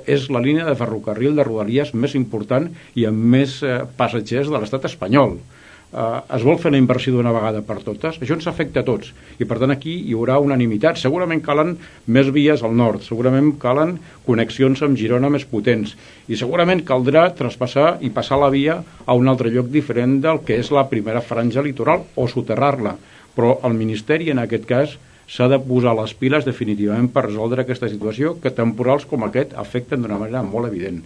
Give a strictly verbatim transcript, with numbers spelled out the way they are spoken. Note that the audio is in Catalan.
És la línia de ferrocarril de Rodalies més important i amb més eh, passatgers de l'estat espanyol. Eh, es vol fer la inversió d'una vegada per totes? Això ens afecta a tots i per tant aquí hi haurà unanimitat. Segurament calen més vies al nord, segurament calen connexions amb Girona més potents i segurament caldrà traspassar i passar la via a un altre lloc diferent del que és la primera franja litoral o soterrar-la, però el Ministeri en aquest cas s'ha de posar les piles definitivament per resoldre aquesta situació que temporals com aquest afecten d'una manera molt evident.